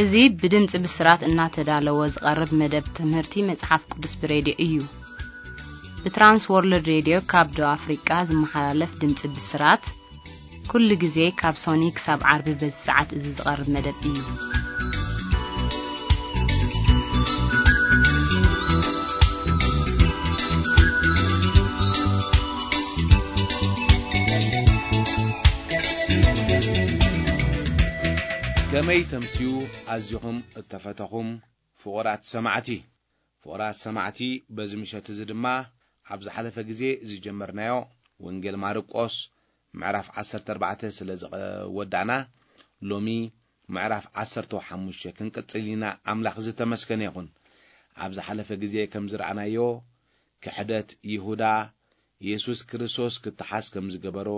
እዚ ብድምጺ ብስራት እናተዳለወ ዝቐርብ መደብ ትምህርቲ መጽሓፍ ቅዱስ ብሬድዮ እዩ። ብትራንስ ወርልድ ሬድዮ ካብ ደቡብ ኣፍሪቃ ዝመሓላለፍ ድምጺ ብስራት፣ ኩሉ ግዜ ካብ ሶኒ ክሳብ ዓርቢ በዚ ሰዓት እዚ ዝቐርብ መደብ እዩ። ከመይ ተምስዩ ኣዚኹም እተፈተኹም ፍቑራት ሰማዕቲ። ፍቑራት ሰማዕቲ፣ በዚ ምሸት እዚ ድማ ኣብ ዝሓለፈ ግዜ ዝጀመርናዮ ወንጌል ማርቆስ ምዕራፍ ዓሰርተ ኣርባዕተ ስለ ዝወዳእና፣ ሎሚ ምዕራፍ ዓሰርተ ሓሙሽተ ክንቅጽል ኢና። ኣምላኽ ዝተመስገነ ይኹን። ኣብ ዝሓለፈ ግዜ ከም ዝረኣናዮ፣ ክሕደት ይሁዳ የሱስ ክርስቶስ ክተሓዝ ከም ዝገበሮ፣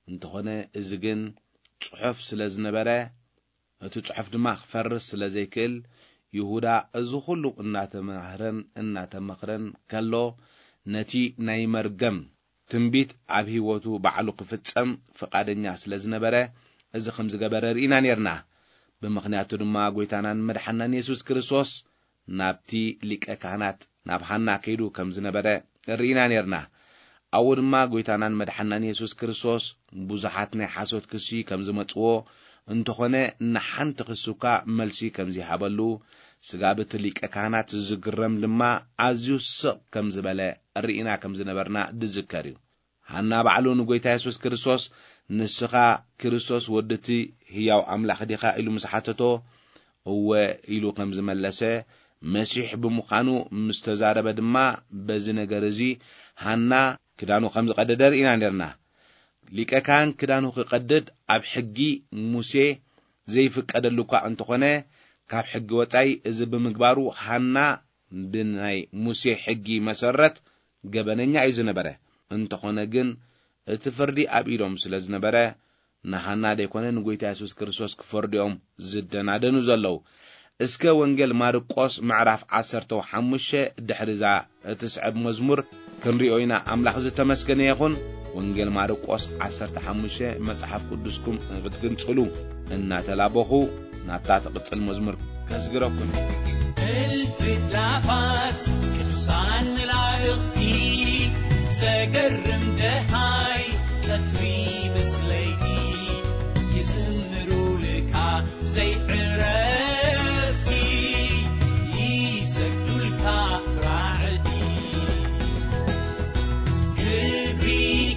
እንተኾነ እዚ ግን ጽሑፍ ስለ ዝነበረ፣ እቲ ጽሑፍ ድማ ክፈርስ ስለ ዘይክእል፣ ይሁዳ እዚ ኹሉ እናተማህረን እናተመኽረን ከሎ፣ ነቲ ናይ መርገም ትንቢት ኣብ ህይወቱ ባዕሉ ክፍጸም ፍቓደኛ ስለ ዝነበረ፣ እዚ ከም ዝገበረ ርኢና ኔርና። ብምኽንያቱ ድማ፣ ጐይታናን መድሓናን የሱስ ክርስቶስ ናብቲ ሊቀ ካህናት ናብ ሃና ከይዱ ከም ዝነበረ ርኢና ኔርና። ኣብኡ ድማ ጐይታናን መድሓናን የሱስ ክርስቶስ ብዙሓት ናይ ሓሶት ክሲ ከም ዝመጽዎ፣ እንተኾነ ንሓንቲ ክሲ እኳ መልሲ ከም ዘይሃበሉ፣ ስጋብ እቲ ሊቀ ካህናት ዝግረም ድማ ኣዝዩ ስቕ ከም ዝበለ ርኢና ከም ዝነበርና ዝዝከር እዩ። ሃና ባዕሉ ንጐይታ የሱስ ክርስቶስ፣ "ንስኻ ክርስቶስ ወዲ እቲ ህያው ኣምላኽ ዲኻ?" ኢሉ ምስ ሓተቶ፣ "እወ" ኢሉ ከም ዝመለሰ፣ መሲሕ ብምዃኑ ምስ ተዛረበ ድማ፣ በዚ ነገር እዚ ሃና ክዳኑ ከም ዝቐደደ ርኢና ኔርና። ሊቀ ካህን ክዳኑ ክቐድድ ኣብ ሕጊ ሙሴ ዘይፍቀደሉ እኳ እንተኾነ፣ ካብ ሕጊ ወጻኢ እዚ ብምግባሩ ሃና ብናይ ሙሴ ሕጊ መሰረት ገበነኛ እዩ ዝነበረ። እንተኾነ ግን፣ እቲ ፍርዲ ኣብ ኢዶም ስለ ዝነበረ፣ ንሃና ደይኮነ ንጐይታ የሱስ ክርስቶስ ክፈርዱ እዮም ዝደናደኑ ዘለዉ። እስከ ወንጌል ማርቆስ ምዕራፍ ዓሰርተ ሓሙሽተ ድሕሪዛ እትስዕብ መዝሙር ክንሪኦ ኢና። ኣምላኽ ዝተመስገነ ይኹን። ወንጌል ማርቆስ ዓሰርተ ሓሙሽተ፣ መጽሓፍ ቅዱስኩም ክትግንጽሉ እናተላበኹ፣ ናብታ ትቕጽል መዝሙር ከስግረኩም። እልፊ ኣእላፋት ቅዱሳን መላእኽቲ፣ ዘገርም ደሃይ ቀትሪ ምስ ለይቲ፣ ይዝምሩልካ ዘይዕረፍቲ፣ ይሰግዱልካ ራዕዲ። ክብሪ፣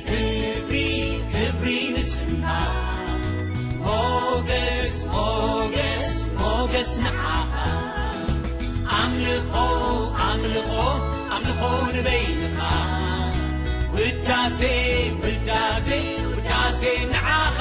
ክብሪ፣ ክብሪ ንስምካ። ሞገስ፣ ሞገስ፣ ሞገስ ንዓኻ። ኣምልኾ፣ ኣምልኾ፣ ኣምልኾ ንበይንኻ። ውዳሴ፣ ውዳሴ፣ ውዳሴ ንዓኻ።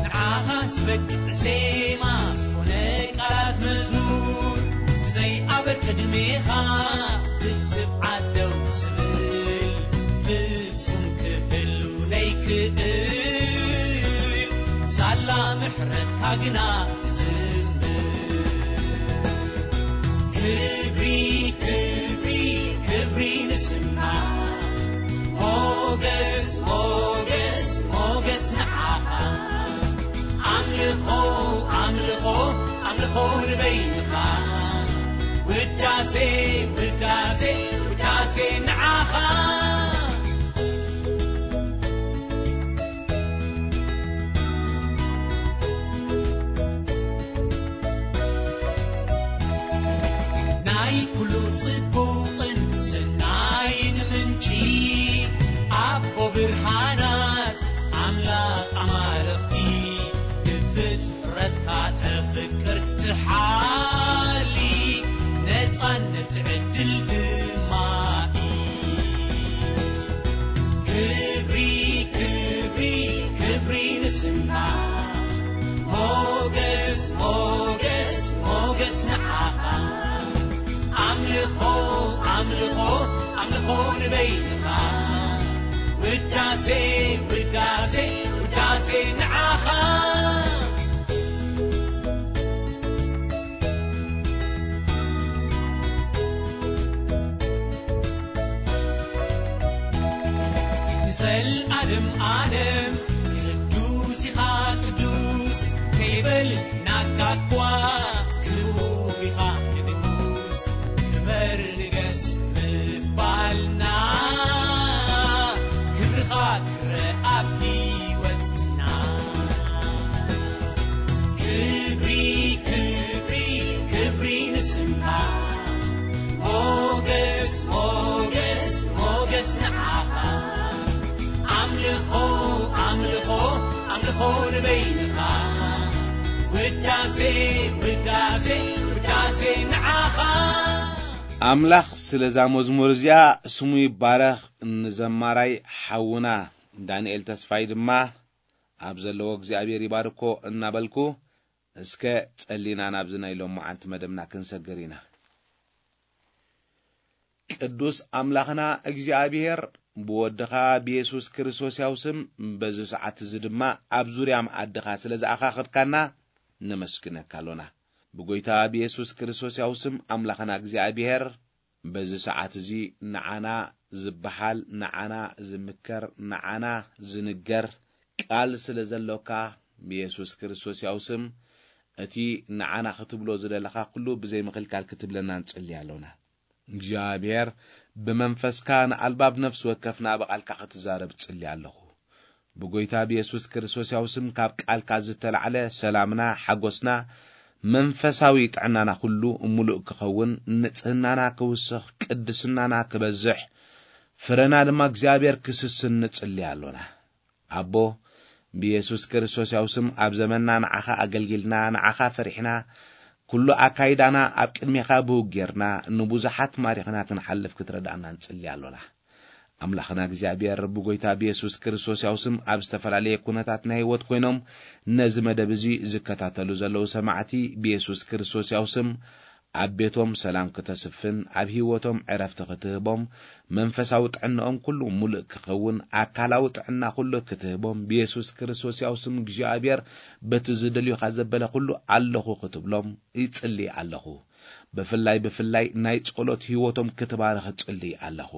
ንዓኻ ዝበቅዕ ዜማ ኮነ ቃላት መዝሙር፣ ብዘይ ኣበር ቅድሜኻ ትብዓት ደው ዝብል፣ ፍጹም ክህሉ ነይክእል፣ ሳላ ምሕረትካ ግና ዝብል። ክብሪ፣ ክብሪ፣ ክብሪ ንስምካ። ሞገስ፣ ሞገስ፣ ሞገስ ንዓኻ። ኣምልኾ፣ ኣምልኾ፣ ኣምልኾ ንበይንኻ። ውዳሴ፣ ውዳሴ፣ ውዳሴ ንዓኻ። ናይ ኩሉ ጽቡቕን ሰናይን ምንጪ፣ ኣቦ ብርሃናት ኣምላኽ ኣማልኽቲ፣ ብፍጥረትካ ተፍቅር ትሓሊ፣ ነጻነት ዕድል ድማ እዩ። ክብሪ፣ ክብሪ፣ ክብሪ ንስምካ። ሞገስ፣ ሞገስ፣ ሞገስ ንዓኻ። ኣምልኾ፣ ኣምልኾ፣ ኣምልኾ ንበይንኻ። ውዳሴ፣ ውዳሴ፣ ውዳሴ ንዓኻ። ዘልኣለም ኣለም ቅዱስ ኢኻ ቅዱስ፣ ከይበል ናካ እኳ ክቡር ኢኻ ንጉስ። ክበር ንገስ ምባልና፣ ክብርኻ ክረኣ ኣብ ህይወትና። ክብሪ፣ ክብሪ፣ ክብሪ ንስምካ። ሞገስ፣ ሞገስ፣ ሞገስ ንዓኻ። ኣምልኾ፣ ኣምልኾ፣ ኣምልኾ ንበይንኻ። ውዳሴ፣ ውዳሴ፣ ውዳሴ ንዓኻ። ኣምላኽ ስለዛ መዝሙር እዚኣ ስሙ ይባረኽ። ንዘማራይ ሓውና ዳንኤል ተስፋይ ድማ ኣብ ዘለዎ እግዚኣብሔር ይባርኮ እናበልኩ፣ እስከ ጸሊና ናብዚ ናይ ሎማዓንቲ መደብና ክንሰግር ኢና። ቅዱስ ኣምላኽና እግዚኣብሔር፣ ብወድኻ ብየሱስ ክርስቶስ ያው ስም በዚ ሰዓት እዚ ድማ ኣብ ዙርያ መኣድኻ ስለ ዝኣኻኸብካና ነመስግነካ ኣሎና። ብጎይታ ብየሱስ ክርስቶስ ያው ስም ኣምላኽና እግዚኣብሔር፣ በዚ ሰዓት እዚ ንዓና ዝበሃል፣ ንዓና ዝምከር፣ ንዓና ዝንገር ቃል ስለ ዘሎካ፣ ብየሱስ ክርስቶስ ያው ስም እቲ ንዓና ክትብሎ ዝደለኻ ኩሉ ብዘይ ምኽልካል ክትብለና ንጽሊ ኣሎና። እግዚኣብሔር፣ ብመንፈስካ ንኣልባብ ነፍሲ ወከፍና ብቓልካ ክትዛረብ ጽሊ ኣለኹ። ብጎይታ ብየሱስ ክርስቶስ ያው ስም ካብ ቃልካ ዝተላዕለ ሰላምና፣ ሓጎስና፣ መንፈሳዊ ጥዕናና ኩሉ ምሉእ ክኸውን፣ ንጽህናና ክውስኽ፣ ቅድስናና ክበዝሕ፣ ፍረና ድማ እግዚኣብሔር ክስስን ንጽሊ ኣሎና። ኣቦ፣ ብየሱስ ክርስቶስ ያው ስም ኣብ ዘመንና ንዓኻ ኣገልጊልና፣ ንዓኻ ፈሪሕና፣ ኩሉ ኣካይዳና ኣብ ቅድሜኻ ብውግ ጌርና፣ ንብዙሓት ማሪኽና ክንሓልፍ ክትረዳእና ንጽሊ ኣሎና። ኣምላኽና እግዚኣብሔር፣ ብጎይታ ብየሱስ ክርስቶስ ያው ስም ኣብ ዝተፈላለየ ኩነታት ናይ ህይወት ኮይኖም ነዚ መደብ እዚ ዝከታተሉ ዘለዉ ሰማዕቲ፣ ብየሱስ ክርስቶስ ያው ስም ኣብ ቤቶም ሰላም ክተስፍን፣ ኣብ ህይወቶም ዕረፍቲ ክትህቦም፣ መንፈሳዊ ጥዕናኦም ኩሉ ሙሉእ ክኸውን፣ ኣካላዊ ጥዕና ኩሉ ክትህቦም፣ ብየሱስ ክርስቶስ ያው ስም እግዚኣብሔር በቲ ዝደልዩኻ ዘበለ ኩሉ ኣለኹ ክትብሎም ይጽሊ ኣለኹ። ብፍላይ፣ ብፍላይ ናይ ጸሎት ህይወቶም ክትባርኽ እጽሊ ኣለኹ።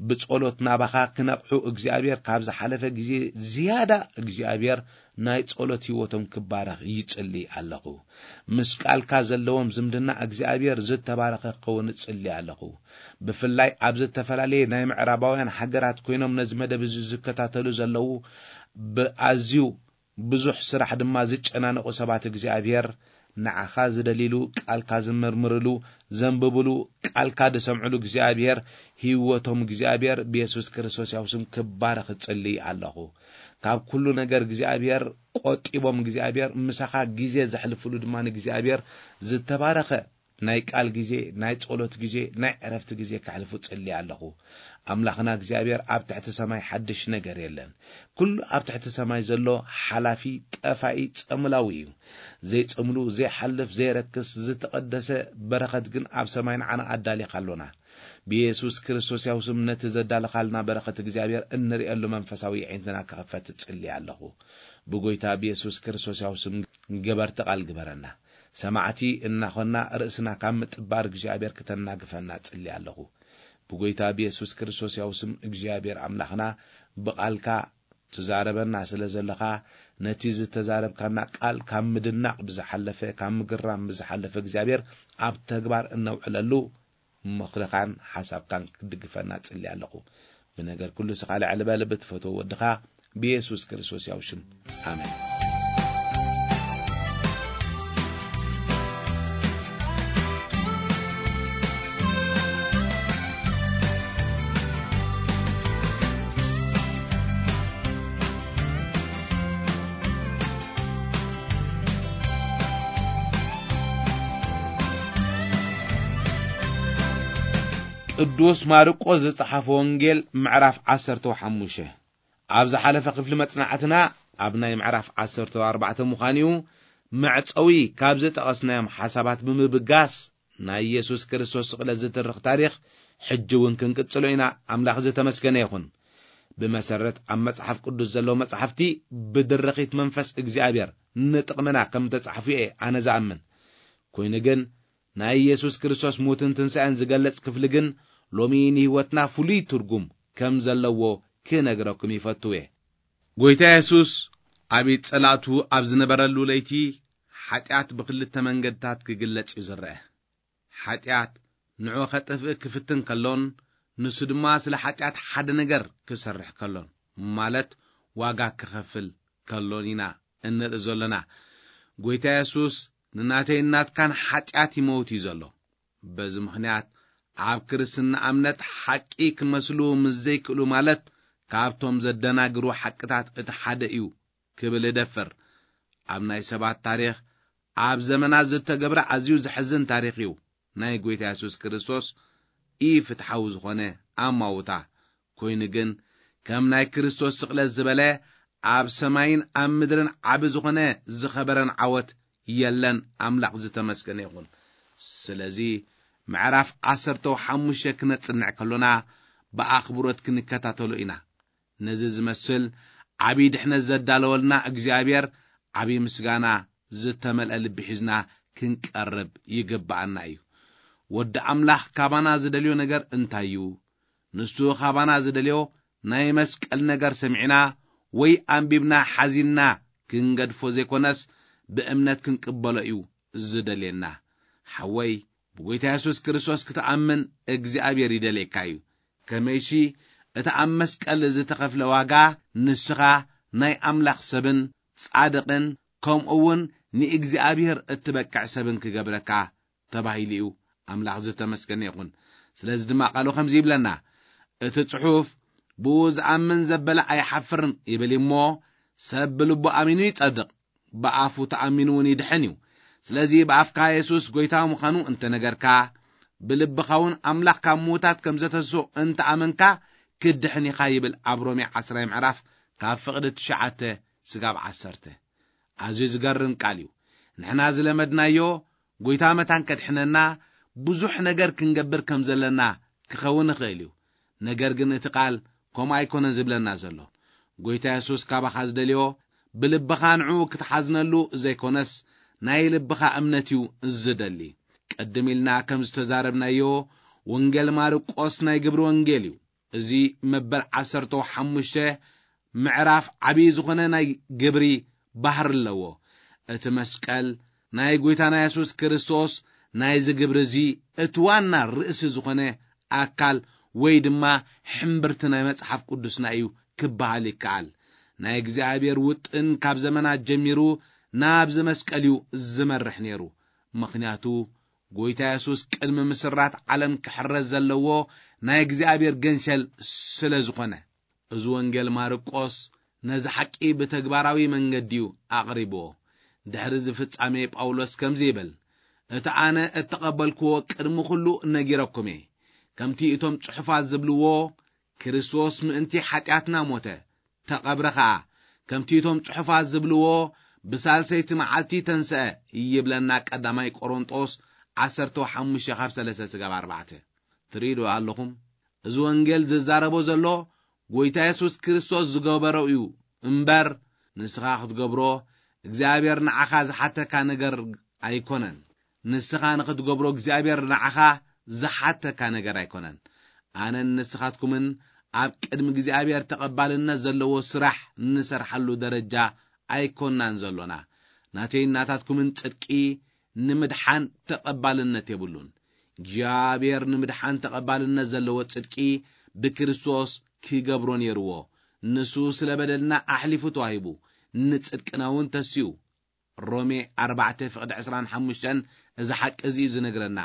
ብጸሎት ናባኻ ክነቕሑ እግዚኣብሔር ካብ ዝሓለፈ ግዜ ዝያዳ እግዚኣብሔር ናይ ጸሎት ህይወቶም ክባረኽ ይጽሊ ኣለኹ። ምስ ቃልካ ዘለዎም ዝምድና እግዚኣብሔር ዝተባረኸ ክኸውን እጽሊ ኣለኹ። ብፍላይ ኣብ ዝተፈላለየ ናይ ምዕራባውያን ሃገራት ኮይኖም ነዚ መደብ እዚ ዝከታተሉ ዘለዉ ብኣዝዩ ብዙሕ ስራሕ ድማ ዝጨናነቑ ሰባት እግዚኣብሔር ንዓኻ ዝደልይሉ፣ ቃልካ ዝምርምርሉ፣ ዘንብብሉ፣ ቃልካ ዝሰምዕሉ እግዚኣብሔር ህይወቶም እግዚኣብሔር ብየሱስ ክርስቶስ ያው ስም ክባረኽ እጽሊ ኣለኹ። ካብ ኩሉ ነገር እግዚኣብሔር ቆጢቦም እግዚኣብሔር ምሳኻ ግዜ ዘሕልፍሉ ድማ ንእግዚኣብሔር ዝተባረኸ ናይ ቃል ግዜ፣ ናይ ጸሎት ግዜ፣ ናይ ዕረፍቲ ግዜ ከሕልፉ ጽሊ ኣለኹ። ኣምላኽና እግዚኣብሔር ኣብ ትሕቲ ሰማይ ሓድሽ ነገር የለን። ኩሉ ኣብ ትሕቲ ሰማይ ዘሎ ሓላፊ፣ ጠፋኢ፣ ጸምላዊ እዩ። ዘይጸምሉ፣ ዘይሓልፍ፣ ዘይረክስ፣ ዝተቐደሰ በረኸት ግን ኣብ ሰማይ ንዓና ኣዳሊኻ ኣሎና። ብየሱስ ክርስቶስ ያው ስም ነቲ ዘዳለኻልና በረኸት እግዚኣብሔር እንርእየሉ መንፈሳዊ ኣዒንትና ክኸፈት እጽሊ ኣለኹ። ብጎይታ ብየሱስ ክርስቶስ ያው ስም ገበርቲ ቃል ግበረና። ሰማዕቲ እናኾንና ርእስና ካብ ምጥባር እግዚኣብሔር ክተናግፈና እጽሊ ኣለኹ። ብጎይታ ብየሱስ ክርስቶስ ያው ስም እግዚኣብሔር ኣምላኽና ብቓልካ ትዛረበና ስለ ዘለኻ፣ ነቲ ዝተዛረብካና ቃል ካብ ምድናቕ ብዝሓለፈ፣ ካብ ምግራም ብዝሓለፈ እግዚኣብሔር ኣብ ተግባር እነውዕለሉ ምኽርኻን ሓሳብካን ክድግፈና እጽሊ ኣለኹ። ብነገር ኩሉ ንስኻ ልዕል በል ብትፈትዎ ወድኻ ብየሱስ ክርስቶስ ያው ሽም። ኣሜን። ቅዱስ ማርቆስ ዝጸሓፈ ወንጌል ምዕራፍ ዓሰርተ ሓሙሽተ። ኣብ ዝሓለፈ ክፍሊ መጽናዕትና ኣብ ናይ ምዕራፍ ዓሰርተ ኣርባዕተ ምዃን እዩ፣ መዕጸዊ ካብ ዝጠቐስናዮም ሓሳባት ብምብጋስ ናይ ኢየሱስ ክርስቶስ ስቕለት ዝትርኽ ታሪኽ ሕጂ እውን ክንቅጽሎ ኢና። ኣምላኽ ዝተመስገነ ይኹን። ብመሰረት ኣብ መጽሓፍ ቅዱስ ዘለዉ መጻሕፍቲ ብድርኺት መንፈስ እግዚኣብሔር ንጥቕምና ከም ተጻሕፉ እየ ኣነ ዝኣምን። ኮይኑ ግን ናይ ኢየሱስ ክርስቶስ ሞትን ትንሳኤን ዝገልጽ ክፍሊ ግን ሎሚ ንህይወትና ፍሉይ ትርጉም ከም ዘለዎ ክነግረኩም ይፈቱ እየ። ጎይታ የሱስ ኣብ ኢድ ጸላእቱ ኣብ ዝነበረሉ ለይቲ፣ ሓጢኣት ብኽልተ መንገድታት ክግለጽ እዩ ዝረአ። ሓጢኣት ንዑ ኸጥፍእ ክፍትን ከሎን፣ ንሱ ድማ ስለ ሓጢኣት ሓደ ነገር ክሰርሕ ከሎን፣ ማለት ዋጋ ክኸፍል ከሎን ኢና እንርኢ ዘሎና። ጎይታ የሱስ ንናተይን ናትካን ሓጢኣት ይመውት እዩ ዘሎ። በዚ ምኽንያት ኣብ ክርስትና እምነት ሓቂ ክመስሉ ምስ ዘይክእሉ፣ ማለት ካብቶም ዘደናግሩ ሓቅታት እቲ ሓደ እዩ ክብል እደፍር። ኣብ ናይ ሰባት ታሪኽ፣ ኣብ ዘመናት ዝተገብረ ኣዝዩ ዘሕዝን ታሪኽ እዩ። ናይ ጎይታ የሱስ ክርስቶስ ኢፍትሓዊ ዝኾነ ኣማውታ ኮይኑ ግን፣ ከም ናይ ክርስቶስ ስቕለት ዝበለ ኣብ ሰማይን ኣብ ምድርን ዓቢ ዝኾነ ዝኸበረን ዓወት የለን። ኣምላኽ ዝተመስገነ ይኹን። ስለዚ ምዕራፍ ዓሰርተ ሓሙሽተ ክነጽንዕ ከሎና ብኣኽብሮት ክንከታተሎ ኢና። ነዚ ዝመስል ዓቢ ድሕነት ዘዳለወልና እግዚኣብሔር ዓቢ ምስጋና ዝተመልአ ልቢ ሒዝና ክንቀርብ ይግብኣና እዩ። ወዲ ኣምላኽ ካባና ዝደልዮ ነገር እንታይ እዩ? ንሱ ካባና ዝደልዮ ናይ መስቀል ነገር ሰሚዕና ወይ ኣንቢብና ሓዚንና ክንገድፎ ዘይኮነስ ብእምነት ክንቅበሎ እዩ ዝደልየና። ሓወይ፣ ብጎይታ የሱስ ክርስቶስ ክትኣምን እግዚኣብሔር ይደልየካ እዩ። ከመይሲ እቲ ኣብ መስቀል ዝተኸፍለ ዋጋ ንስኻ ናይ ኣምላኽ ሰብን ጻድቕን ከምኡ እውን ንእግዚኣብሔር እትበቅዕ ሰብን ክገብረካ ተባሂሉ እዩ። ኣምላኽ ዝተመስገነ ይኹን። ስለዚ ድማ ቃሉ ከምዚ ይብለና፣ እቲ ጽሑፍ፣ "ብኡ ዝኣምን ዘበለ ኣይሓፍርን" ይብል እሞ፣ "ሰብ ብልቡ ኣሚኑ ይጸድቕ፣ ብኣፉ ተኣሚኑ እውን ይድሕን እዩ። ስለዚ ብኣፍካ የሱስ ጎይታ ምዃኑ እንተነገርካ፣ ብልብኻ እውን ኣምላኽ ካብ ምዉታት ከም ዘተስኦ እንተኣመንካ፣ ክትድሕን ኢኻ" ይብል ኣብ ሮሜ ዓስራይ ምዕራፍ ካብ ፍቕዲ ትሽዓተ ስጋብ ዓሰርተ። ኣዝዩ ዝገርም ቃል እዩ። ንሕና ዝለመድናዮ፣ ጎይታ መታን ከድሕነና ብዙሕ ነገር ክንገብር ከም ዘለና ክኸውን ይኽእል እዩ። ነገር ግን እቲ ቃል ከምኡ ኣይኮነን ዝብለና ዘሎ። ጎይታ የሱስ ካባኻ ዝደልዮ ብልብኻ ንዕኡ ክትሓዝነሉ ዘይኮነስ፣ ናይ ልብኻ እምነት እዩ ዝደሊ። ቅድም ኢልና ከም ዝተዛረብናዮ፣ ወንጌል ማርቆስ ናይ ግብሪ ወንጌል እዩ። እዚ መበል ዓሰርተ ሓሙሽተ ምዕራፍ ዓብዪ ዝኾነ ናይ ግብሪ ባህሪ ኣለዎ። እቲ መስቀል ናይ ጎይታና የሱስ ክርስቶስ ናይዚ ግብሪ እዚ እቲ ዋና ርእሲ ዝኾነ ኣካል ወይ ድማ ሕምብርቲ ናይ መጽሓፍ ቅዱስና እዩ ክበሃል ይከኣል። ናይ እግዚኣብሔር ውጥን ካብ ዘመናት ጀሚሩ ናብዚ መስቀል እዩ ዝመርሕ ነይሩ። ምኽንያቱ ጎይታ የሱስ ቅድሚ ምስራት ዓለም ክሕረድ ዘለዎ ናይ እግዚኣብሔር ገንሸል ስለ ዝኾነ። እዚ ወንጌል ማርቆስ ነዚ ሓቂ ብተግባራዊ መንገዲ እዩ ኣቕሪብዎ። ድሕሪ እዚ ፍጻሜ ጳውሎስ ከምዚ ይብል፣ "እቲ ኣነ እተቐበልክዎ ቅድሚ ኹሉ ነጊረኩም እየ። ከምቲ እቶም ጽሑፋት ዝብልዎ፣ ክርስቶስ ምእንቲ ሓጢኣትና ሞተ፣ ተቐብረ ኸኣ። ከምቲ እቶም ጽሑፋት ዝብልዎ፣ ብሳልሰይቲ መዓልቲ ተንስአ" ይብለና ቀዳማይ ቆሮንጦስ ዓሰርተ ሓሙሽተ ካብ ሰለስተ ስጋብ ኣርባዕተ። ትርእዩ ዶ ኣለኹም? እዚ ወንጌል ዝዛረቦ ዘሎ ጎይታ የሱስ ክርስቶስ ዝገበሮ እዩ እምበር፣ ንስኻ ክትገብሮ እግዚኣብሔር ንዓኻ ዝሓተካ ነገር ኣይኮነን። ንስኻ ንኽትገብሮ እግዚኣብሔር ንዓኻ ዝሓተካ ነገር ኣይኮነን። ኣነን ንስኻትኩምን ኣብ ቅድሚ እግዚኣብሔር ተቐባልነት ዘለዎ ስራሕ ንሰርሓሉ ደረጃ ኣይኮናን ዘሎና። ናተይን ናታትኩምን ጽድቂ ንምድሓን ተቐባልነት የብሉን። እግዚኣብሔር ንምድሓን ተቐባልነት ዘለዎ ጽድቂ ብክርስቶስ ክገብሮ ነይርዎ። ንሱ ስለ በደልና ኣሕሊፉ ተዋሂቡ፣ ንጽድቅና እውን ተስዩ። ሮሜ ኣርባዕተ ፍቕዲ ዕስራን ሓሙሽተን እዚ ሓቂ እዚ እዩ ዝነግረና።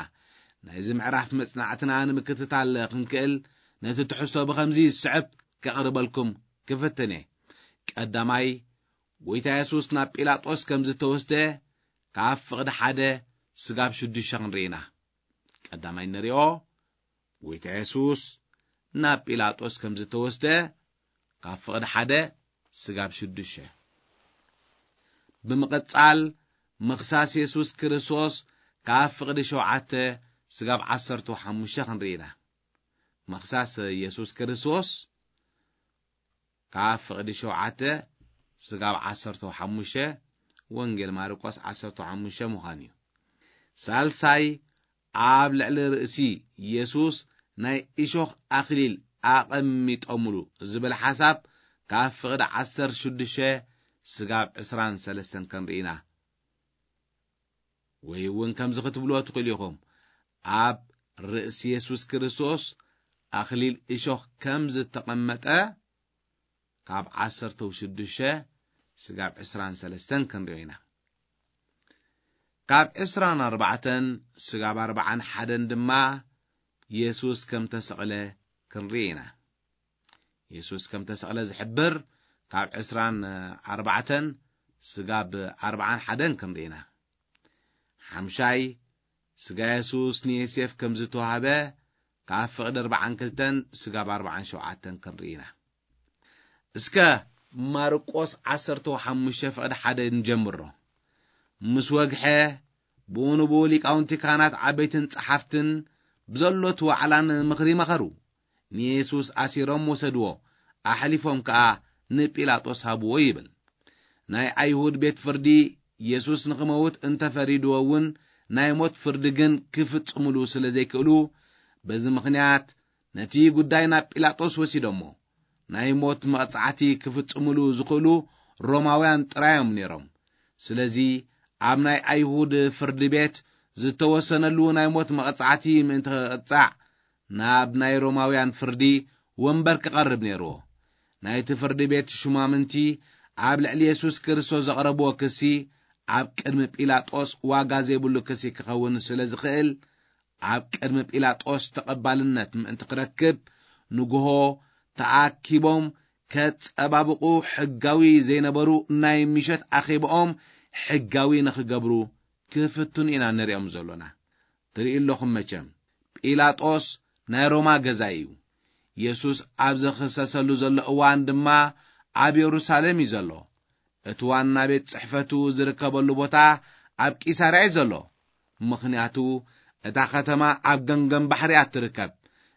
ናይዚ ምዕራፍ መጽናዕትና ንምክትታል ክንክእል፣ ነቲ ትሕዝቶ ብኸምዚ ዝስዕብ ከቕርበልኩም ክፍትን እየ። ቀዳማይ፣ ጎይታ የሱስ ናብ ጲላጦስ ከም ዝተወስደ ካብ ፍቕዲ ሓደ ስጋብ ሽዱሽተ ክንርኢ ኢና። ቀዳማይ እንሪኦ፣ ጎይታ የሱስ ናብ ጲላጦስ ከም ዝተወስደ ካብ ፍቕዲ ሓደ ስጋብ ሽዱሽተ። ብምቕጻል፣ ምኽሳስ የሱስ ክርስቶስ ካብ ፍቕዲ ሸውዓተ ስጋብ ዓሰርተ ሓሙሽተ ክንርኢ ኢና። ምኽሳስ የሱስ ክርስቶስ ካብ ፍቕዲ ሸውዓተ ስጋብ ዓሰርተ ሓሙሽተ፣ ወንጌል ማርቆስ ዓሰርተ ሓሙሽተ ምዃን እዩ። ሳልሳይ፣ ኣብ ልዕሊ ርእሲ የሱስ ናይ እሾኽ ኣኽሊል ኣቐሚጦምሉ ዝብል ሓሳብ ካብ ፍቕዲ ዓሰርተ ሽዱሽተ ስጋብ ዕስራን ሰለስተን ክንርኢ ኢና። ወይ እውን ከምዚ ክትብልዎ ትኽእሉ ኢኹም፣ ኣብ ርእሲ የሱስ ክርስቶስ ኣኽሊል እሾኽ ከም ዝተቐመጠ ካብ ዓሰርተ ሽዱሽተ ስጋብ ዕስራን ሰለስተን ክንሪኦ ኢና። ካብ ዕስራን ኣርባዕተን ስጋብ ኣርባዓን ሓደን ድማ የሱስ ከም ተሰቕለ ክንርኢ ኢና። የሱስ ከም ተሰቕለ ዝሕብር ካብ ዕስራን ኣርባዕተን ስጋብ ኣርባዓን ሓደን ክንርኢ ኢና። ሓምሻይ፣ ስጋ የሱስ ንዮሴፍ ከም ዝተዋህበ ካብ ፍቕዲ ኣርባዓን ክልተን ስጋብ ኣርባዓን ሸውዓተን ክንርኢ ኢና። እስከ ማርቆስ ዓሰርተ ሓሙሽተ ፍቕዲ ሓደ ንጀምሮ። ምስ ወግሐ፣ ብኡ ንብኡ ሊቃውንቲ ካህናት ዓበይትን ጸሓፍትን ብዘሎት ዋዕላን ምኽሪ መኸሩ። ንየሱስ ኣሲሮም ወሰድዎ፣ ኣሕሊፎም ከኣ ንጲላጦስ ሃብዎ ይብል። ናይ ኣይሁድ ቤት ፍርዲ የሱስ ንኽመውት እንተፈሪድዎ እውን ናይ ሞት ፍርዲ ግን ክፍጽምሉ ስለ ዘይክእሉ፣ በዚ ምኽንያት ነቲ ጉዳይ ናብ ጲላጦስ ወሲዶሞ። ናይ ሞት መቕጻዕቲ ክፍጽምሉ ዝኽእሉ ሮማውያን ጥራዮም ነይሮም። ስለዚ ኣብ ናይ ኣይሁድ ፍርዲ ቤት ዝተወሰነሉ ናይ ሞት መቕጻዕቲ ምእንቲ ክቕጻዕ ናብ ናይ ሮማውያን ፍርዲ ወንበር ክቐርብ ነይርዎ። ናይቲ ፍርዲ ቤት ሹማምንቲ ኣብ ልዕሊ የሱስ ክርስቶስ ዘቕረብዎ ክሲ ኣብ ቅድሚ ጲላጦስ ዋጋ ዘይብሉ ክሲ ክኸውን ስለ ዝኽእል፣ ኣብ ቅድሚ ጲላጦስ ተቐባልነት ምእንቲ ክረክብ፣ ንግሆ ተኣኪቦም ከጸባብቑ ሕጋዊ ዘይነበሩ ናይ ምሸት ኣኼባኦም ሕጋዊ ንኽገብሩ ክፍትኑ ኢና ንሪኦም ዘሎና። ትርኢ ኣለኹም መቸም፣ ጲላጦስ ናይ ሮማ ገዛኢ እዩ። የሱስ ኣብ ዝኽሰሰሉ ዘሎ እዋን ድማ ኣብ የሩሳሌም እዩ ዘሎ። እቲ ዋና ቤት ጽሕፈቱ ዝርከበሉ ቦታ ኣብ ቂሳርያ እዩ ዘሎ። ምኽንያቱ እታ ከተማ ኣብ ገምገም ባሕሪ እያ ትርከብ።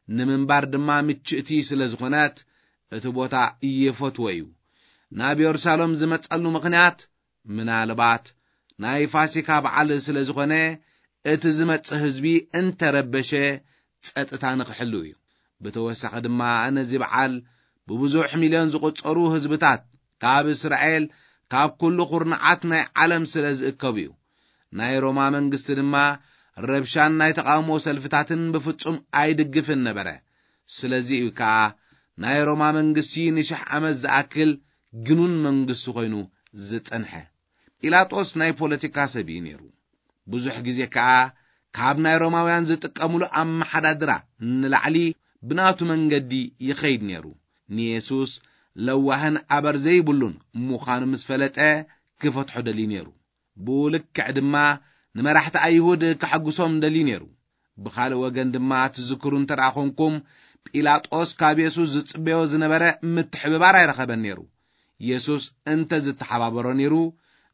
ንምንባር ድማ ምችእቲ ስለ ዝኾነት እቲ ቦታ ይፈትዎ እዩ። ናብ የሩሳሌም ዝመጸሉ ምኽንያት ምናልባት ናይ ፋሲካ በዓል ስለ ዝኾነ እቲ ዝመጽእ ህዝቢ እንተረበሸ ጸጥታ ንኽሕሉ እዩ። ብተወሳኺ ድማ ነዚ በዓል ብብዙሕ ሚልዮን ዝቑጸሩ ህዝብታት ካብ እስራኤል ካብ ኩሉ ኩርናዓት ናይ ዓለም ስለ ዝእከቡ እዩ። ናይ ሮማ መንግስቲ ድማ ረብሻን ናይ ተቓውሞ ሰልፍታትን ብፍጹም ኣይድግፍን ነበረ። ስለዚ እዩ ከኣ ናይ ሮማ መንግስቲ ንሽሕ ዓመት ዝኣክል ግኑን መንግስቲ ኮይኑ ዝጸንሐ። ጲላጦስ ናይ ፖለቲካ ሰብ እዩ ነይሩ። ብዙሕ ግዜ ከኣ ካብ ናይ ሮማውያን ዝጥቀምሉ ኣመሓዳድራ ንላዕሊ ብናቱ መንገዲ ይኸይድ ነይሩ። ንየሱስ ለዋህን ኣበር ዘይብሉን ምዃኑ ምስ ፈለጠ ክፈትሖ ደልዩ ነይሩ። ብኡ ልክዕ ድማ ንመራሕቲ ኣይሁድ ከሐጉሶም ደልዩ ነይሩ። ብኻልእ ወገን ድማ ትዝክሩ እንተ ደኣ ኾንኩም፣ ጲላጦስ ካብ የሱስ ዝጽበዮ ዝነበረ ምትሕብባር ኣይረኸበን ነይሩ። የሱስ እንተ ዝተሓባበሮ ነይሩ፣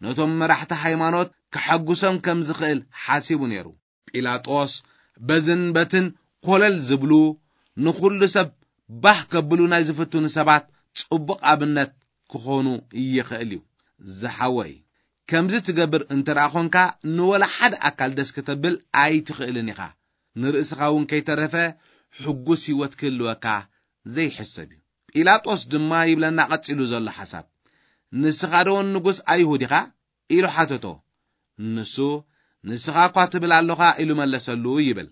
ነቶም መራሕቲ ሃይማኖት ከሐጉሶም ከም ዝኽእል ሓሲቡ ነይሩ። ጲላጦስ በዝን በትን ኮለል ዝብሉ፣ ንኹሉ ሰብ ባህ ከብሉ ናይ ዝፍትኑ ሰባት ጽቡቕ ኣብነት ክኾኑ ይኽእል እዩ። ዝሓወይ፣ ከምዚ ትገብር እንተ ደኣ ኾንካ፣ ንወላ ሓደ ኣካል ደስ ክተብል ኣይትኽእልን ኢኻ። ንርእስኻ እውን ከይተረፈ ሕጉስ ህይወት ክህልወካ ዘይሕሰብ እዩ። ጲላጦስ ድማ ይብለና ቀጺሉ ዘሎ ሓሳብ፣ "ንስኻ ዶ ንጉስ ኣይሁድ ኢኻ?" ኢሉ ሓተቶ። ንሱ፣ "ንስኻ እኳ ትብል ኣለኻ" ኢሉ መለሰሉ ይብል።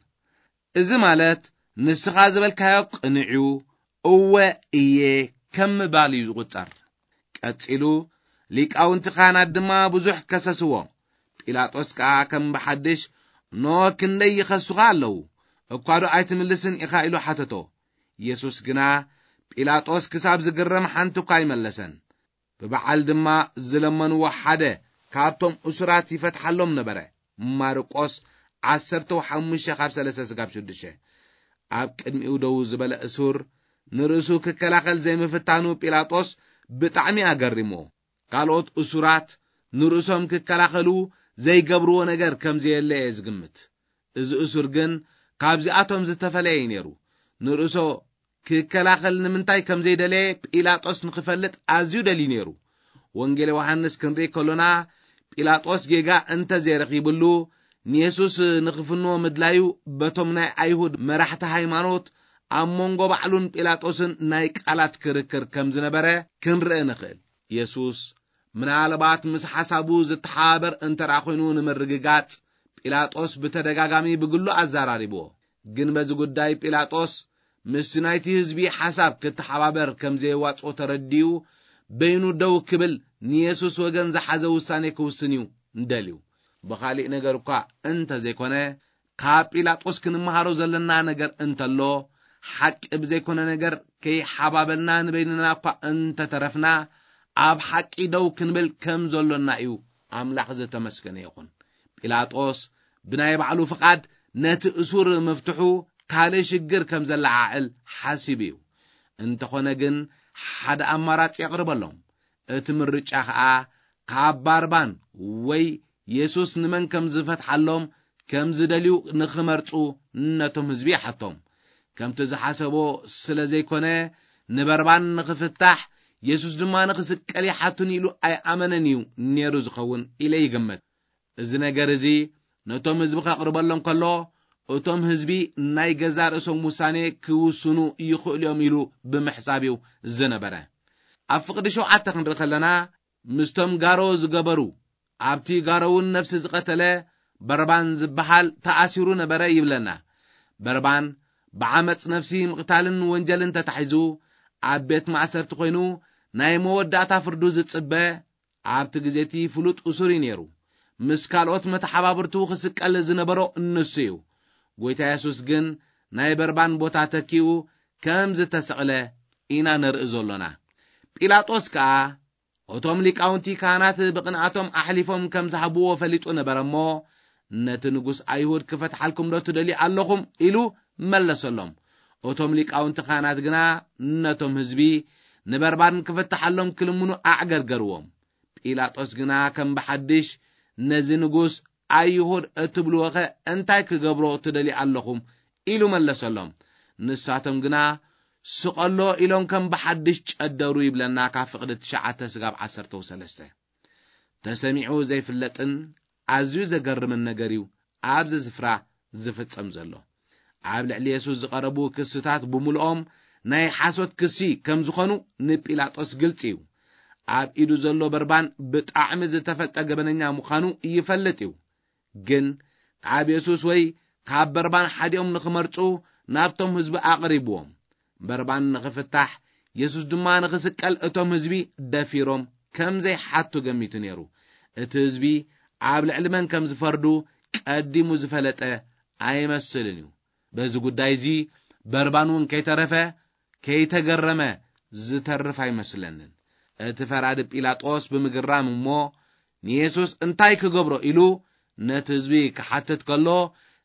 እዚ ማለት፣ "ንስኻ ዝበልካዮ ቅኑዕ እዩ፣ እወ እየ" ከም ምባል እዩ ዝቑጸር። ቀጺሉ፣ ሊቃውንቲ ካህናት ድማ ብዙሕ ከሰስዎ። ጲላጦስ ከኣ ከም ብሓድሽ፣ "ኖ ክንደይ ይኸሱኻ ኣለዉ፣ እኳ ዶ ኣይትምልስን ኢኻ?" ኢሉ ሓተቶ። የሱስ ግና፣ ጲላጦስ ክሳብ ዝግረም ሓንቲ እኳ ኣይመለሰን። ብበዓል ድማ ዝለመንዎ ሓደ ካብቶም እሱራት ይፈትሓሎም ነበረ። ማርቆስ ዓሰርተ ሓሙሽተ ካብ ሰለስተ ስጋብ ሽዱሽተ። ኣብ ቅድሚኡ ደው ዝበለ እሱር ንርእሱ ክከላኸል ዘይምፍታኑ ጲላጦስ ብጣዕሚ ኣገሪሞ። ካልኦት እሱራት ንርእሶም ክከላኸሉ ዘይገብርዎ ነገር ከም ዘየለ እየ ዝግምት። እዚ እሱር ግን ካብዚኣቶም ዝተፈለየ እዩ ነይሩ። ንርእሶ ክከላኸል ንምንታይ ከም ዘይደለየ ጲላጦስ ንኽፈልጥ ኣዝዩ ደልዩ ነይሩ። ወንጌል ዮሃንስ ክንርኢ ከሎና፣ ጲላጦስ ጌጋ እንተ ዘይረኺብሉ፣ ንየሱስ ንኽፍንዎ ምድላዩ በቶም ናይ ኣይሁድ መራሕቲ ሃይማኖት ኣብ መንጎ ባዕሉን ጲላጦስን ናይ ቃላት ክርክር ከም ዝነበረ ክንርኢ ንኽእል። የሱስ ምናልባት ምስ ሓሳቡ ዝተሓባበር እንተ ደኣ ኾይኑ ንምርግጋጽ፣ ጲላጦስ ብተደጋጋሚ ብግሉ ኣዘራሪብዎ። ግን በዚ ጉዳይ ጲላጦስ ምስቲ ናይቲ ህዝቢ ሓሳብ ክተሓባበር ከም ዘየዋጽኦ ተረዲኡ፣ በይኑ ደው ክብል ንየሱስ ወገን ዝሓዘ ውሳኔ ክውስን እዩ ደልዩ። ብኻሊእ ነገር እኳ እንተ ዘይኮነ፣ ካብ ጲላጦስ ክንመሃሮ ዘለና ነገር እንተሎ፣ ሓቂ ብዘይኮነ ነገር ከይሓባበልና ንበይንና እኳ እንተተረፍና፣ ኣብ ሓቂ ደው ክንብል ከም ዘሎና እዩ። ኣምላኽ ዝተመስገነ ይኹን። ጲላጦስ ብናይ ባዕሉ ፍቓድ ነቲ እሱር ምፍትሑ ካልእ ሽግር ከም ዘለዓዕል ሓሲቡ እዩ። እንተኾነ ግን ሓደ ኣማራጺ የቕርበሎም። እቲ ምርጫ ኸኣ ካብ ባርባን ወይ የሱስ ንመን ከም ዝፈትሓሎም ከም ዝደልዩ ንኽመርጹ ነቶም ህዝቢ ይሓቶም። ከምቲ ዝሓሰቦ ስለ ዘይኮነ፣ ንበርባን ንኽፍታሕ፣ የሱስ ድማ ንኽስቀል ይሓቱኒ ኢሉ ኣይኣመነን እዩ ነይሩ ዝኸውን ኢለ ይግምት። እዚ ነገር እዚ ነቶም ህዝቢ ከቕርበሎም ከሎ፣ እቶም ህዝቢ ናይ ገዛእ ርእሶም ውሳኔ ክውስኑ ይኽእሉ እዮም ኢሉ ብምሕሳብ እዩ ዝነበረ። ኣብ ፍቕዲ ሸውዓተ ክንርኢ ከለና፣ ምስቶም ጋሮ ዝገበሩ፣ ኣብቲ ጋሮ እውን ነፍሲ ዝቐተለ በርባን ዝበሃል ተኣሲሩ ነበረ ይብለና። በርባን ብዓመጽ ነፍሲ ምቕታልን ወንጀልን ተታሒዙ ኣብ ቤት ማእሰርቲ ኮይኑ ናይ መወዳእታ ፍርዱ ዝጽበ ኣብቲ ግዜ እቲ ፍሉጥ እሱር እዩ ነይሩ። ምስ ካልኦት መተሓባብርቱ ክስቀል ዝነበሮ ንሱ እዩ። ጎይታ የሱስ ግን ናይ በርባን ቦታ ተኪኡ ከም ዝተሰቕለ ኢና ንርኢ ዘሎና። ጲላጦስ ከኣ እቶም ሊቃውንቲ ካህናት ብቕንኣቶም ኣሕሊፎም ከም ዝሃብዎ ፈሊጡ ነበረ እሞ፣ ነቲ ንጉስ ኣይሁድ ክፈትሓልኩም ዶ ትደልዩ ኣለኹም? ኢሉ መለሰሎም። እቶም ሊቃውንቲ ካህናት ግና ነቶም ህዝቢ ንበርባን ክፍትሓሎም ክልምኑ ኣዕገርገርዎም። ጲላጦስ ግና ከም ብሓድሽ ነዚ ንጉስ ኣይሁድ እትብልዎኸ እንታይ ክገብሮ ትደልዩ ኣለኹም? ኢሉ መለሰሎም። ንሳቶም ግና ስቐሎ ኢሎም ከም ብሓድሽ ጨደሩ ይብለና ካብ ፍቕዲ ትሽዓተ ስጋብ ዓሰርተ ሰለስተ። ተሰሚዑ ዘይፍለጥን ኣዝዩ ዘገርምን ነገር እዩ ኣብዚ ስፍራ ዝፍጸም ዘሎ። ኣብ ልዕሊ የሱስ ዝቐረቡ ክስታት ብምልኦም ናይ ሓሶት ክሲ ከም ዝኾኑ ንጲላጦስ ግልጺ እዩ። ኣብ ኢዱ ዘሎ በርባን ብጣዕሚ ዝተፈልጠ ገበነኛ ምዃኑ ይፈልጥ እዩ። ግን ካብ የሱስ ወይ ካብ በርባን ሓዲኦም ንኽመርጹ ናብቶም ህዝቢ ኣቕሪብዎም። በርባን ንኽፍታሕ፣ የሱስ ድማ ንኽስቀል እቶም ህዝቢ ደፊሮም ከም ዘይሓቱ ገሚቱ ነይሩ። እቲ ህዝቢ ኣብ ልዕሊ መን ከም ዝፈርዱ ቀዲሙ ዝፈለጠ ኣይመስልን እዩ። በዚ ጉዳይ እዚ በርባን እውን ከይተረፈ ከይተገረመ ዝተርፍ ኣይመስለንን። እቲ ፈራዲ ጲላጦስ ብምግራም እሞ ንየሱስ እንታይ ክገብሮ ኢሉ ነቲ ህዝቢ ክሓትት ከሎ፣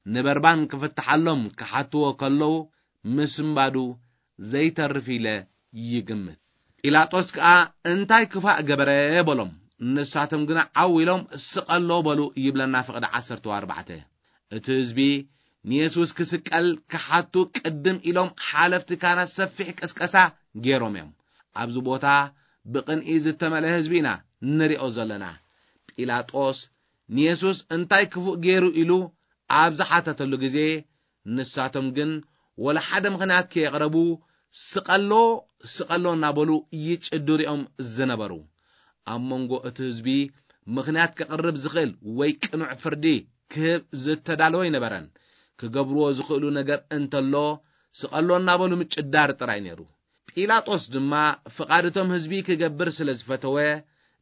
ንበርባን ክፍትሓሎም ክሓትዎ ከለዉ ምስንባዱ ዘይተርፍ ኢለ ይግምት። ጲላጦስ ከኣ እንታይ ክፋእ ገበረ በሎም። ንሳቶም ግና ዓው ኢሎም ስቐሎ በሉ ይብለና ፍቕዲ ዓሰርተ ኣርባዕተ። እቲ ህዝቢ ንየሱስ ክስቀል ክሓቱ ቅድም ኢሎም ሓለፍቲ ካህናት ሰፊሕ ቅስቀሳ ገይሮም እዮም። ኣብዚ ቦታ ብቕንኢ ዝተመልአ ህዝቢ ኢና ንሪኦ ዘለና። ጲላጦስ ንየሱስ እንታይ ክፉእ ገይሩ ኢሉ ኣብ ዝሓተተሉ ግዜ፣ ንሳቶም ግን ወላ ሓደ ምኽንያት ከየቕረቡ ስቐሎ፣ ስቐሎ እናበሉ ይጭድሩ እዮም ዝነበሩ። ኣብ መንጎ እቲ ህዝቢ ምኽንያት ከቕርብ ዝኽእል ወይ ቅኑዕ ፍርዲ ክህብ ዝተዳለወ ኣይነበረን። ክገብርዎ ዝኽእሉ ነገር እንተሎ ስቐሎ እናበሉ ምጭዳር ጥራይ ነይሩ። ጲላጦስ ድማ ፍቓድ እቶም ህዝቢ ክገብር ስለ ዝፈተወ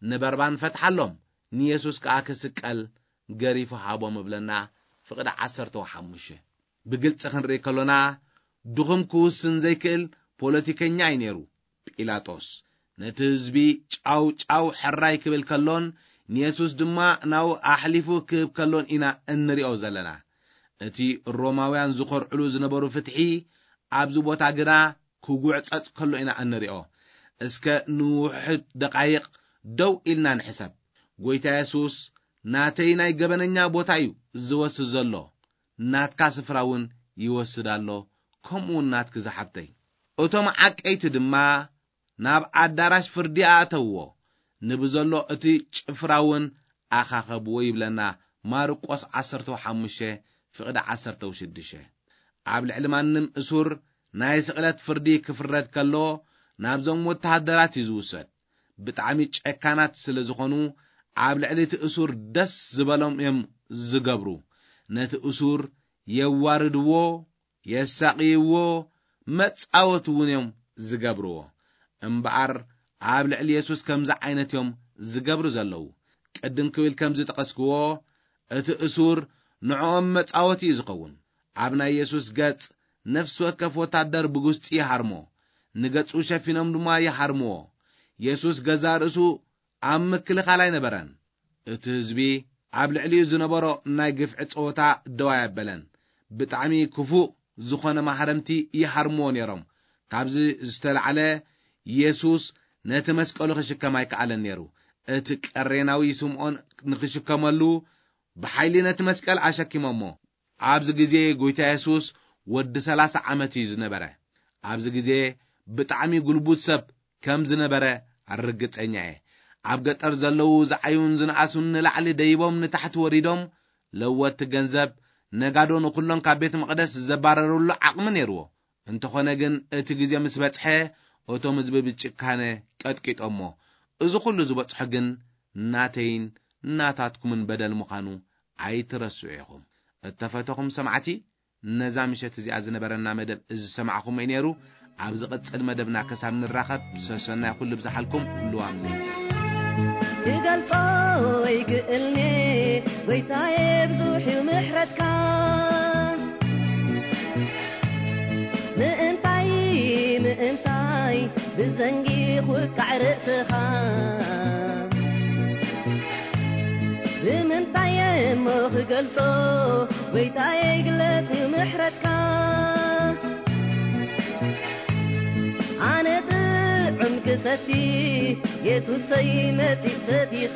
ንበርባን ፈትሓሎም፣ ንየሱስ ከኣ ክስቀል ገሪፉ ሃቦም እብለና ፍቕዲ ዓሰርተ ሓሙሽተ። ብግልጺ ክንርኢ ከሎና ድኹም ክውስን ዘይክእል ፖለቲከኛ እዩ ነይሩ ጲላጦስ። ነቲ ህዝቢ ጫው ጫው ሕራይ ክብል ከሎን ንየሱስ ድማ ናው ኣሕሊፉ ክህብ ከሎን ኢና እንሪኦ ዘለና። እቲ ሮማውያን ዝኾርዕሉ ዝነበሩ ፍትሒ ኣብዚ ቦታ ግና ክጉዕጸጽ ከሎ ኢና እንሪኦ። እስከ ንውሑድ ደቓይቕ ደው ኢልና ንሕሰብ። ጎይታ የሱስ ናተይ ናይ ገበነኛ ቦታ እዩ ዝወስድ ዘሎ፣ ናትካ ስፍራ እውን ይወስድ ኣሎ፣ ከምኡ እውን ናትኪ ዝሓብተይ። እቶም ዓቀይቲ ድማ ናብ ኣዳራሽ ፍርዲ ኣእተውዎ፣ ንብዘሎ እቲ ጭፍራ እውን ኣኻኸብዎ ይብለና ማርቆስ ዓሰርተ ሓሙሽተ ፍቕዲ ዓሰርተ ሽዱሽተ። ኣብ ልዕሊ ማንም እሱር ናይ ስቕለት ፍርዲ ክፍረድ ከሎ፣ ናብዞም ወተሃደራት እዩ ዝውሰድ። ብጣዕሚ ጨካናት ስለ ዝኾኑ፣ ኣብ ልዕሊ እቲ እሱር ደስ ዝበሎም እዮም ዝገብሩ። ነቲ እሱር የዋርድዎ፣ የሳቕይዎ፣ መጻወቲ እውን እዮም ዝገብርዎ። እምበኣር፣ ኣብ ልዕሊ የሱስ ከምዚ ዓይነት እዮም ዝገብሩ ዘለዉ። ቅድም ክብል ከም ዝጠቐስክዎ፣ እቲ እሱር ንዕኦም መጻወቲ እዩ ዝኸውን። ኣብ ናይ የሱስ ገጽ፣ ነፍሲ ወከፍ ወታደር ብጉስጢ ይሃርሞ፣ ንገጹ ሸፊኖም ድማ ይሃርምዎ። የሱስ ገዛእ ርእሱ ኣብ ምክልኻል ኣይነበረን። እቲ ህዝቢ ኣብ ልዕሊኡ ዝነበሮ ናይ ግፍዒ ጸወታ ደው ኣየበለን። ብጣዕሚ ክፉእ ዝኾነ ማህረምቲ ይሃርምዎ ነይሮም። ካብዚ ዝተላዕለ፣ የሱስ ነቲ መስቀሉ ክሽከም ኣይከኣለን ነይሩ። እቲ ቀሬናዊ ስምዖን ንኽሽከመሉ፣ ብሓይሊ ነቲ መስቀል ኣሸኪሞሞ። ኣብዚ ግዜ፣ ጎይታ የሱስ ወዲ ሠላሳ ዓመት እዩ ዝነበረ። ኣብዚ ግዜ፣ ብጣዕሚ ጉልቡት ሰብ ከም ዝነበረ ርግጸኛ እየ። ኣብ ገጠር ዘለዉ ዝዓዩን ዝነኣሱን ንላዕሊ ደይቦም ንታሕቲ ወሪዶም፣ ለወጥቲ ገንዘብ፣ ነጋዶ ንኹሎም ካብ ቤት መቕደስ ዘባረሩሉ ዓቕሚ ነይርዎ። እንተኾነ ግን፣ እቲ ግዜ ምስ በጽሐ፣ እቶም ህዝቢ ብጭካነ ቀጥቂጦሞ። እዚ ኹሉ ዝበጽሖ ግን ናተይን ናታትኩምን በደል ምዃኑ ኣይትረስዑ ኢኹም። እተፈተኹም ሰማዕቲ፣ ነዛ ምሸት እዚኣ ዝነበረና መደብ እዚ ዝሰማዕኹም እዩ ነይሩ። ኣብ ዝቕጽል መደብና ክሳብ ንራኸብ፣ ሰሰናይ ኩሉ ብዝሓልኩም። ልዋም ለይቲ። ክገልጾ ይክእልኔ፣ ጎይታዬ፣ ብዙሕ እዩ ምሕረትካ። ምእንታይ፣ ምእንታይ ብዘንጊ ኹቃዕ ርእስኻ? ብምንታይ እሞ ክገልጾ፣ ጎይታዬ፣ ግለጽ እዩ ምሕረትካ። ኣነ ጥዑም ክሰቲ፣ የሱሰይ፣ መጺእ ሰቲኻ።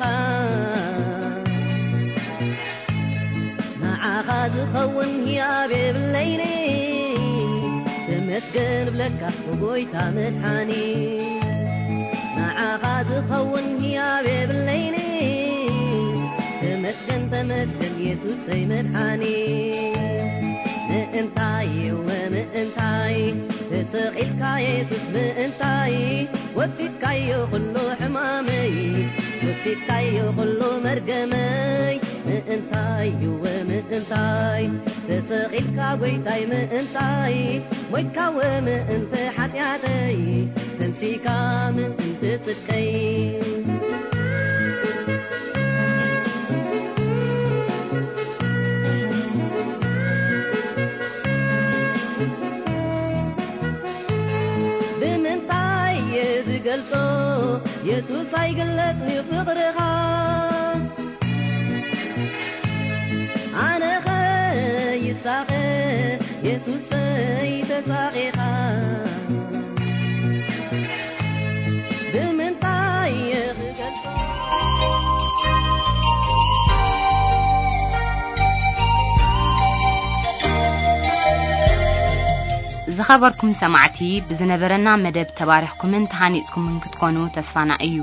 ንዓኻ ዝኸውን ህያብ የብለይኒ፣ ተመስገን ብለካ ጎይታ መድሓኒ። ንዓኻ ዝኸውን ህያብ የብለይኒ፣ ተመስገን፣ ተመስገን የሱሰይ መድሓኒ። ምእንታይ እወ ምእንታይ ተሰቒልካ የሱስ ምእንታይ፣ ወሲድካዮ ኩሉ ሕማመይ፣ ወሲድካዮ ኩሉ መርገመይ። ምእንታይ እወ ምእንታይ ተሰቒልካ ጎይታይ ምእንታይ፣ ሞይትካ እወ ምእንቲ ሓጢኣተይ፣ ተንሲእካ ምእንቲ ጽድቀይ። ብምንታይ እየ ዝገልጾ? የሱስ ኣይግለጽን እዩ ፍቕርኻ። ኣነኸ ይሳቐ፣ የሱሰይ ተሳቒኻ። ብምንታይ እየ ክገልጾ? ዝኸበርኩም ሰማዕቲ፣ ብዝነበረና መደብ ተባሪኽኩምን ተሃኒጽኩምን ክትኮኑ ተስፋና እዩ።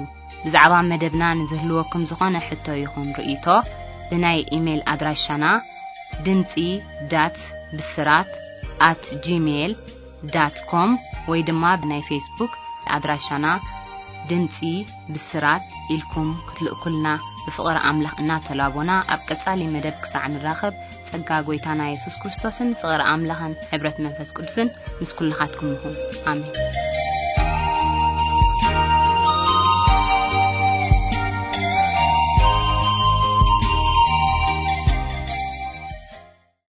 ብዛዕባ መደብና ንዝህልወኩም ዝኾነ ሕቶ ይኹን ርእይቶ፣ ብናይ ኢሜይል ኣድራሻና ድምጺ ዳት ብስራት ኣት ጂሜይል ዳት ኮም ወይ ድማ ብናይ ፌስቡክ ኣድራሻና ድምጺ ብስራት ኢልኩም ክትልእኩልና ብፍቕሪ ኣምላኽ እናተላቦና፣ ኣብ ቀጻሊ መደብ ክሳዕ ንራኸብ፣ ጸጋ ጐይታና የሱስ ክርስቶስን ፍቕሪ ኣምላኽን ሕብረት መንፈስ ቅዱስን ምስ ኩልኻትኩም ይኹን። ኣሜን።